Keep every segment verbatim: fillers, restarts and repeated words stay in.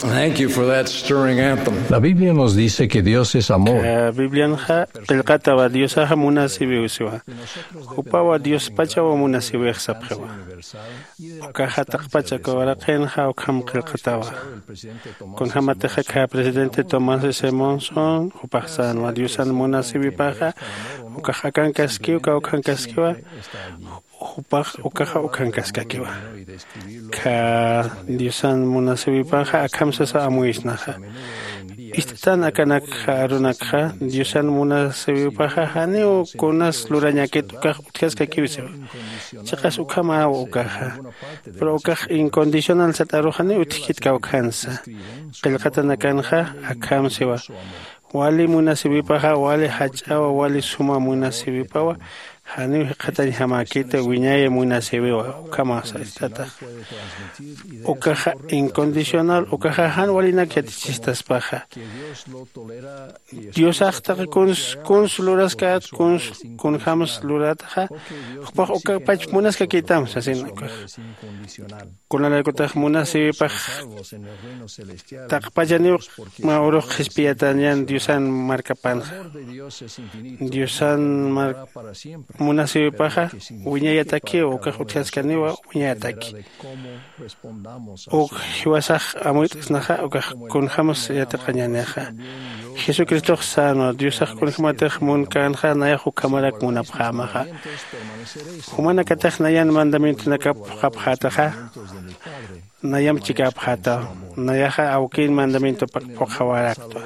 Thank you for that stirring anthem. La Biblia nos dice que Dios es amor. Biblianxa qillqatawa Diosaxa munasiwiw siwa. Jupawa Diospachawa munasiwix sapxiwa. Ukaxa taqpacha kawaraqinxa ukham qillqatawa. Kunjämatixa khä presidente Thomas S. Monson jupax sänwa Diosan munasiwipaxa ukax akankaskiw kawkhankaskiwa. Jupax ukaxa ukhankaskakiwa. Khä Diosan munasiwipaxa akham sasa amuyisnaxa. Ist'atan akanakxa arunakxa Diosan munasiwipaxa janiw kunas lurañakit ukax utjaskakiw siwa. Chiqas ukhamaw ukaxa. Pero ukax incondicional sat aru janiw utjkit kawkhansa. Qillqatanakanxa akham siwa. Wali munasiwipaxa wali jach'awa wali suma munasiwipawa. Janiw jikxatañjamäkita wiñaya munasiwiwa ukhama sast'atax. Ukaxa incondicional ukaxa jan walinak yatichistaspaxa. Diosax taqi kuns kuns luraskät kuns kunjäms lurataxa. Jupax ukapach munaskakitam sasin ukax. Kunalaykutax munasiwipax taqpachaniw mä urux qhispiyatañan diosan markapanxa. Diosan munasiwipaxa wiñayatakiw ukax utjaskaniwa wiñayataki. Uk jiwasax amuyt'snaxa ukax kunjämas yatiqañänixa. Jesucristox sänwa diosax kunjämatix munkänxa nayax ukhamarak munapxämaxa. Jumanakatix nayan mandamientonakap phuqhapxätaxa. Nayamp chikäpxätaw. Nayaxa awkin mandamientopaq phuqhawaraktwa.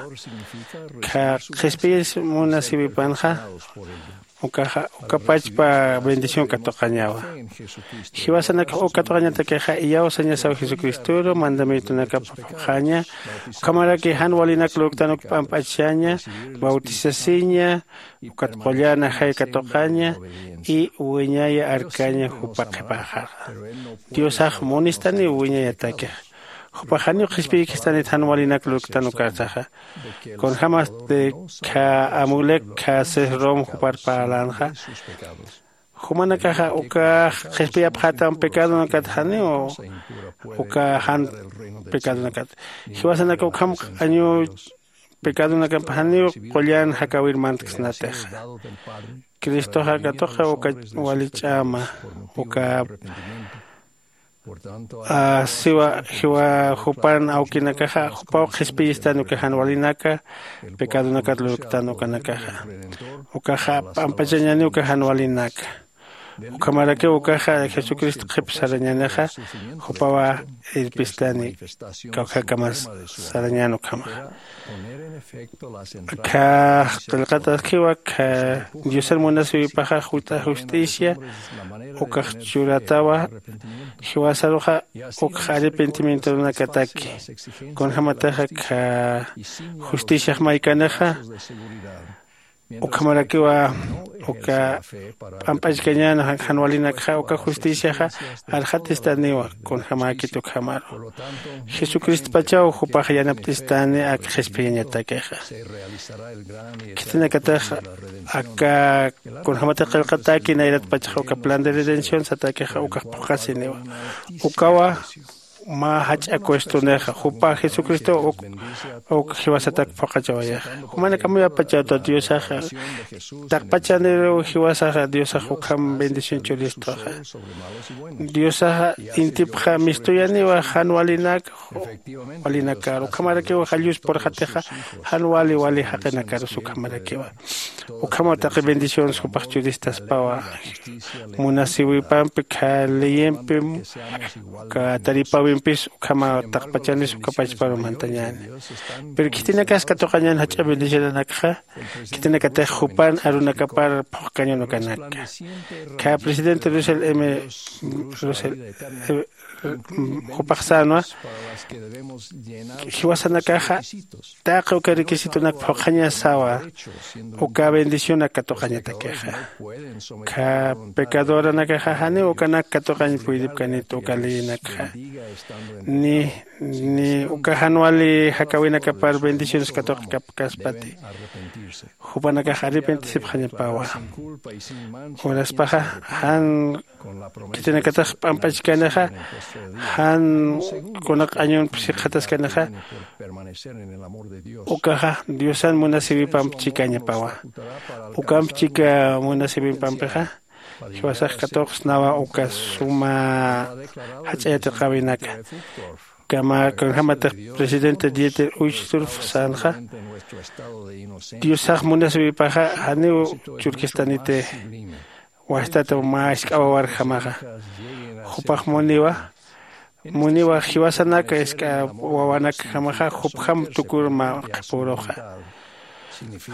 Khä qhispiyis munasiwipanxa ukaxa ukapachpa bendición katuqañawa. Jiwasanakax uk katuqañatakixa iyawsañasaw jesucristoru mandamientonakap phuqhaña. Ukhamaraki jan walinak lurktan uk p'amp'achsaña, bautisasiña, ukat qullan ajay katuqaña y wiñaya arkaña jupa qhipaxaxa. Diosax munistaniw wiñayatakix. Jupax janiw qhispiykistanit jan walinak lurktan ukarsaxa. Kunjämasti khä amulek khä sesrom jupar parlänxa. Jumanakaxa ukax qhispiyapxätam pecadonakat janiw uka jan pecadonakat. Jiwasanaka ukham q'añu pecadonakamp janiw qullan jakäwir mantksnatixa. Cristoxa katuqi uka wali ch'ama uka siwa jiwa jupan awkinakaxa jupaw qhispiyistan uka jan walinaka pecadonakat lurktan ukanakaxa. Ukaxa p'ampachañani uka jan walinaka. Ukhamarakiw ukaxa jesucristo qhip sarañänixa jupawa irpistani kawkhakamas sarañän ukhamaxa. Khä qillqataskiwa khä diosan munasiwipaxa jut'a justicia ukax churatawa. Jiwasaruxa ukx arrepentimientonakataki kunjämatixa khä justiciax maykanixa. Ukhamarakiwa uka p'amp'achkañän jan walinakxa uka justiciaxa arxatistaniwa kunjämäkit ukhamaru. Jesucristopachaw jupax yanapt'istani ak qhispiyañatakixa. Khitinakatix aka kunjämatix qillqatäki nayratpachax uka plan de redención satakixa ukax phuqhasiniwa. Ukawa mä jach'a cuestonixa jupa jesucristow uk uk jiwasatak phuqhachawayaxa. Jumanakamuyapachaw ta diosaxa taqpachaniruw jiwasaxa diosax ukham bendición churistuxa. Diosaxa intipxa mistuyaniwa jan walinak walinakar ukhamarakiwa jallus purxatixa jan wali wali jaqinakarus ukhamarakiwa. Ukhamaw taqi bendiciones jupax churistaspawa. Munasiwipampi khä leyempim uka taripawimpis ukhamaw taqpachanis ukapachparu mantañäni. Pero khitinakas katuqañän jach'a bendicionanakxa khitinakatix jupan arunakapar phuqkañan ukanaka. Khä presidente russell m russell jupax sänwa jiwasanakaxa taqi uka requisitonak phuqhañasawa uka bendicionak katuqañatakixa. Khä pecadoranakaxa janiw ukanak katuqañ puydipkanit uka leyinakxa ni ni uka jan wali jakäwinakapar bendiciones katuqikapkaspati. Jupanakax arrepentisipxañapawa. Uraspaxa jan khitinakatix p'amp'achkanixa jan kunaq Ñunpsi qhataskanixa. Ukaxa diosan munasiwipamp chikañapawa. Ukamp chika munasiwipampixa jiwasax katuqsnawa uka suma jach'a yatiqäwinaka. Kama kunjämatix presidente Dieter Uchtdorf sänxa, diosax munasiwipaxa janiw churkistaniti. Wajtat mä jisk'a wawarjamaxa jupax muniwa. Muniwa jiwasanaka jisk'a wawanakjamaxa jupjam tukur mä qhipüruxa.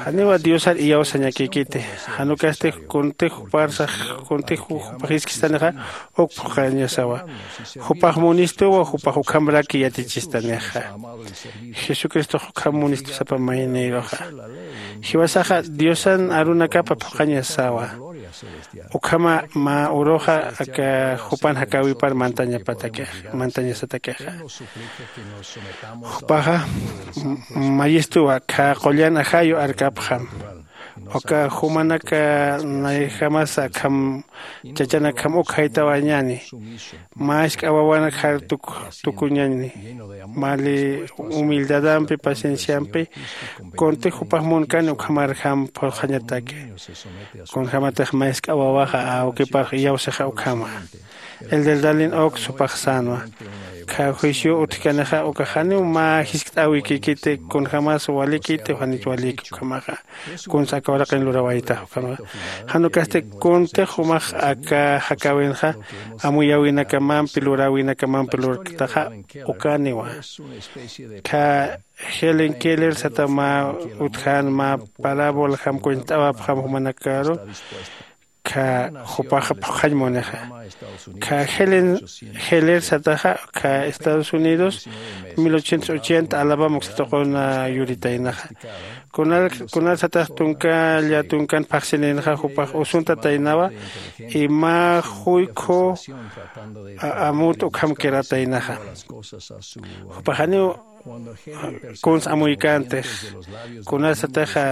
Janiwa diosar iyawsañakïkiti. Jan ukasti kuntix juparsax kuntix jupax jiskistanixa uk phuqhañasawa. Jupax munistuwa jupax ukhamraki yatichistanixa. Jesucristox ukham munistu sapa maynïruxa. Jiwasaxa diosan arunakapa phuqhañasawa. Ukhama mä uruxa aka jupan jakäwipar mantañapatakixa mantañasatakixa. Jupaxa mayistuwa khä qullan ajayu arkapxam. Uka jumanaka nayjamasa akham chachanakjam uk jaytawañani. Mä jisk'a wawanak jar tukuñani. Mali humildadampi pacienciampi kuntix jupax munkani ukhamarjam phuqhañataki. Kunjämatix mä jisk'a wawaxa awkiparx iyawsixa ukhama. El del dalin uk supax sänwa. Khä juicio utjkanixa ukax janiw mä jiskt'äwikïkiti kunjämas walikiti janit waliki ukhamaxa. Kunsa aka uraqin lurawaytax ukhamaxa. Jan ukasti kuntix jumax aka jakäwinxa amuyäwinakamampi luräwinakamampi lurktaxa. Ukaniwa khä Helen Keller sata mä utjan mä parábola jam cuentawapxam jumanakaru. Khä jupaxa phuqhañ munixa. Khä Helen Heller sataxa khä Estados Unidos mil ochocientos ochenta Alabama uksatuquna yuritaynaxa. Kunal kunal satax tunka lla tunkan phaxsinïnxa jupax usuntataynawa. Y mä juykhu amut ukham quirataynaxa. Jupax janiw kuns amuykantix. Kunasataxa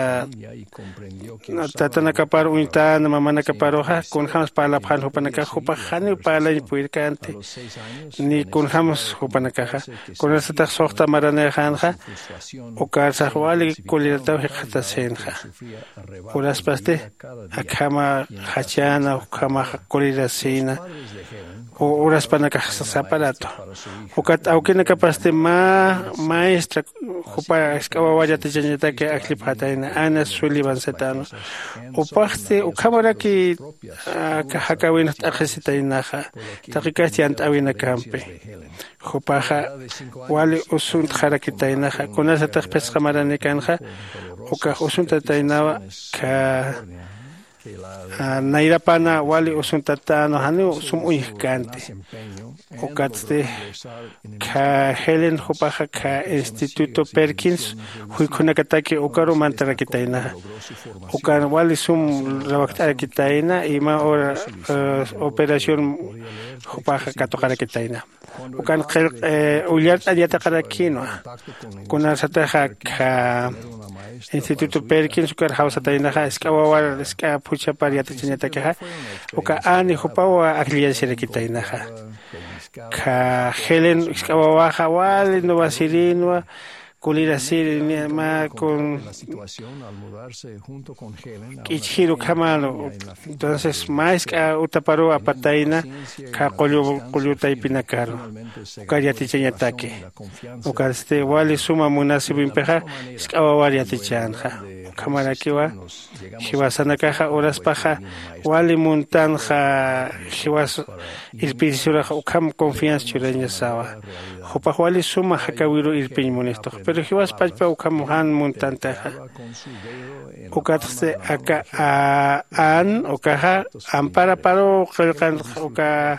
tatanakapar uñtän mamanakaparuxa kunjämas parlapxän jupanakax jupax janiw parlañ purirkanti. Ni kunjämas jupanakaxa kunasatax suxta maranïxänxa. Ukarsax wali kulirataw jikxatasïnxa. Uraspasti akhama jachäna ukhama kulirasïna. Uraspanakax saparatu. Ukat awkinakapasti mä maestra jupa jisk'a wawar yatichañataki ajllipxatayna Ana Sullivan sitänwa. Jupaxsti ukhamaraki aka jakäwinx t'aqhisitaynaxa taqikasti yant'äwinakampi. Jupaxa wali usuntxarakitaynaxa kunasatix phisqa maranïkänxa. Ukax usuntataynawa khä nayrapana wali usuntatänwa janiw sum uñjkänti. Ukatsti khä Helen jupaxa khä Instituto Perkins juykhunakataki ukaru mantarakitaynaxa. Ukan wali sum rawakt'arakitayna y mä operación jupaxa katuqarakitayna. Ukan ullart'añ yatiqarakïnwa. Kunarsataxa khä Instituto Perkins ukar jawsataynaxa jisk'a wawar jisk'a phuchhapar yatichañatakixa. Uka ani jupawa ajlliyañsirakitaynaxa. Khä Helen jisk'a wawaxa wali nuwasirïnwa. Kulirasiri mä kun k'ichjir ukhamänu. Entonces mä jisk'a utaparuw apatayna khä qullu qullu taypinakaru ukar yatichañataki. Ukatsti wali suma munasiwimpixa jisk'a wawar yatichänxa. Ukhamarakiwa jiwasanakaxa uraspaxa wali muntanxa. Jiwas irpirisuraxa ukham confianza churañasawa. Jupax wali suma jakäwiru irpiñ munistux pero jiwas pachpa ukham jan muntantixa. Ukatsti aka an ukaxa amparaparuw qillqanxa uka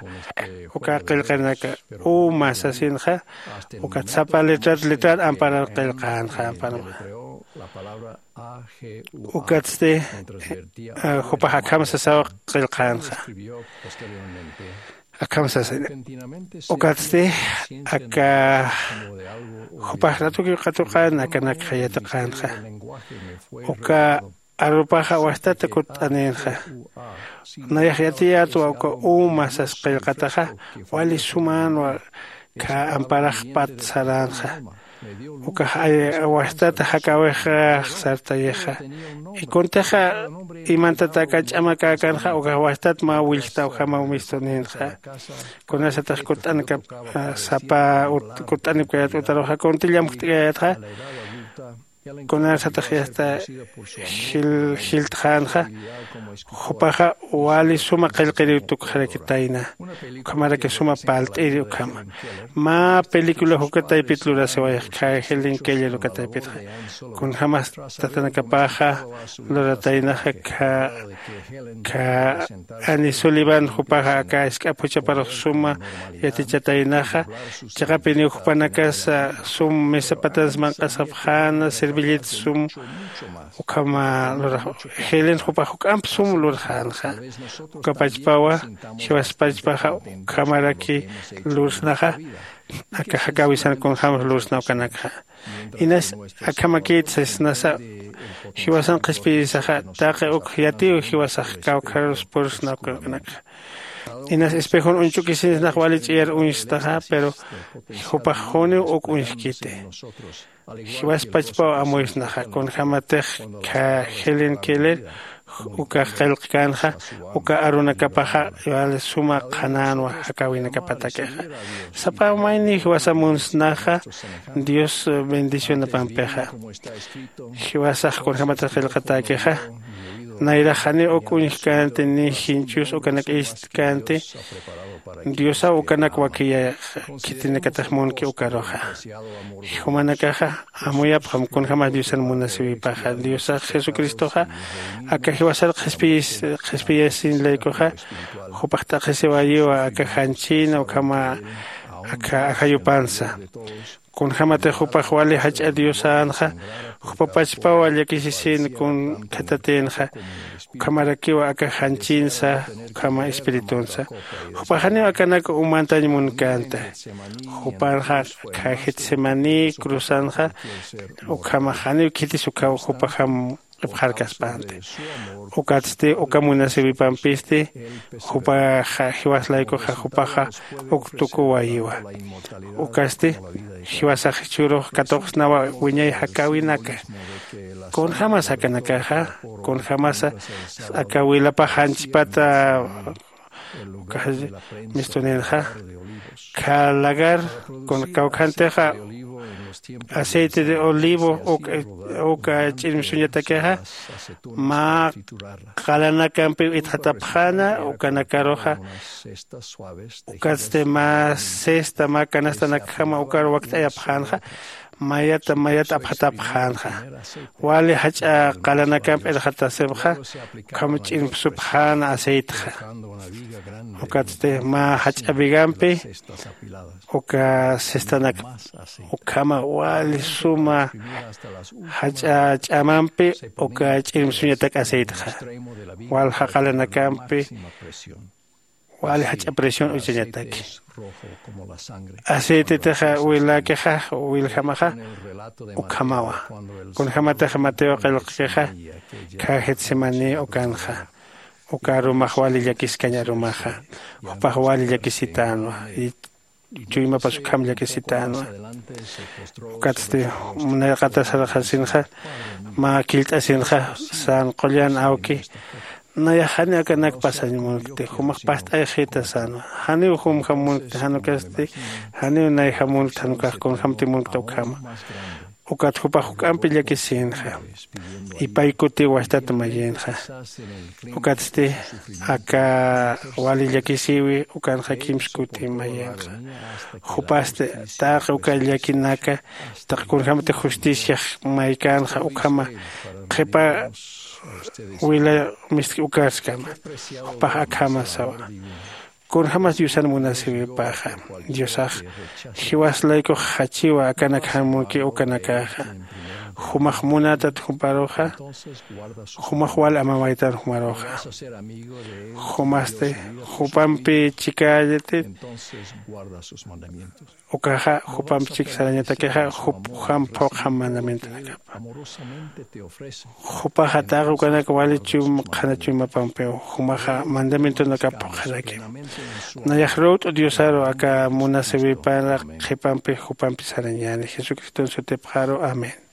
uka qillqanaka uma sasinxa. Ukat sapa letrat letrar amparar qillqanxa amparanxa. Ukatsti jupax akham sasaw qillqänxa. Akham sasina. Ukatsti aka jupax ratukiw qatuqän akanakxa yatiqänxa. Uka arupaxa wastata kutt'anïnxa. Nayax yatiyätwa uka uma sas qillqataxa wali sumänwa. Kha amparaxpat saränxa. Ukax ay wajtat jakawix sartayixa. Y kuntixa imantataka ch'amakäkanxa ukax wajtat mä willjta ukhamaw mistuninxa. Kunasatix kutt'ankap sapa kutt'anipkayat utaruxa kunti llamjt'kayatxa. Kunasatix yasta jiltxänxa. Jupaxa wali suma qillqiriw tukxarakitayna. Ukhamaraki suma palt'iri ukhama. Mä película jukataypit lurasiwayxkha helen keller ukataypitxa. Kunjämas tatanakapaxa lurataynaxa. Kha ani sullivan jupaxa aka isk'ap juchaparux suma yatichataynaxa. Chiqapiniw jupanakasa sum misapatans manq'asapxäna servillita sum. Ukhama lurax helen jupax juk'amp sum lurxänxa. Ukapachpawa jiwaspachpaxa ukhamaraki lursnaxa. Aka jakäwisan kunjämas lursna ukanakxa. Inas akhamakït sasnasa jiwasan qhispiyisaxa. Taqi uk yatiw jiwasax kawkharus pursna ukanakxa. Inas espejon uñch'ukisinsnax wali ch'iyar uñstaxa pero jupax juniw uk uñjkiti. Jiwaspachpaw amuysnaxa kunjämatix kha helen keller ukax qillqkänxa. Uka arunakapaxa wali suma qhanänwa jakäwinakapatakixa. Sapa mayni jiwasa munsnaxa. Dios bendicionapampixa. Jiwasax kunjämatix qillqatäkixa. Nayrax janiw uk uñjkänti ni jinchus ukanak ist'känti. Diosaw ukanak wakiya khitinakatix munki ukaruxa. Jumanakaxa amuyapxam kunjämas diosan munasiwipaxa diosax jesucristoxa aka jiwasar qhispiyasin laykuxa. Jupax t'aqhisiwayiwa aka janchïna ukhama aka ajayupansa. Kunjämatix jupax wali jach'a diosänxa. Jupapachpawa llakisisin kun khatatïnxa. Ukhamarakiwa aka janchïnsa ukhama espiritunsa. Jupax janiw akanak umantañ munkänta. Jupanxa kha getsemaní cruzanxa. Ukhamax janiw khitis ukhaw jupaxam q'ipxarkaspänti. Ukatsti uka munasiwipampisti jupaxa jiwas laykuxa jupaxa uk tukuwayiwa. Ukasti jiwasax jichhürux katuqsnawa wiñay jakäwinaka. Kunjämas akanakaxa kunjämasa aka wilapax janchpata ukax mistuninxa. Kha lagar kun kawkhantixa aceite de olivo uka ch'irmsuñatakixa mä qalanakampiw itxatapxäna ukanakaruxa. Ukatsti mä cesta mä canastanakjama ukar wakt'ayapxänxa. Mayata mayata apxatapxänxa. Wali jach'a qalanakamp irxatasipxa. Ukham ch'irmsupxäna aceitxa. Ukatsti mä jach'a vigampi uka cestanak ukhama wali suma jach'a ch'amampi uka ch'irmsuñatak aceitxa. Walja qalanakampi wali jach'a presión uchañataki. Aceitetix wiläkixa wiljamaxa ukhamawa. Kunjämatix mateo qillqkixa kha getsemaní ukanxa. Uka arumax wali llakiskañ arumaxa. Jupax wali llakisitänwa. Chuymapas ukham llakisitänwa. Ukatsti munayqatasarxasinxa mä killt'asinxa sän qullan awki. Nayax janiw akanak pasañ munkti jumax past'ayxita sänwa. Janiw jumjam munkti jan ukasti janiw nayjam munkti jan ukax kunjämti munkta ukhama. Ukat jupax juk'ampi llakisïnxa. Ipay kutiw wajtat mayïnxa. Ukatsti aka wali llakisïwi ukanxa kimsa kuti mayïnxa. Jupasti taqi uka llakinaka taqi kunjämti justiciax maykänxa ukhama qhipa wila mistki ukarskama. Jupax akhama sawa. Kunjämas diosan munasiwipaxa diosax jiwas laykux jachiwa akanak jan munki ukanakaxa. Jumax munatat juparuxa, jumax wal amamaytan jumaruxa. Jumasti jupampi chikallati, ukaxa jupampi chik sarañatakixa jupjam phuqjam mandamientonakapa. Jupaxa taqi ukanak wali chum qhana chuymapampiw, jumaxa mandamientonakap phuqxarakim. Nayax ruwt'u diosaru aka munasiwipanra qhipampi jupampi sarañäni jesucriston sutipxaru. Amén.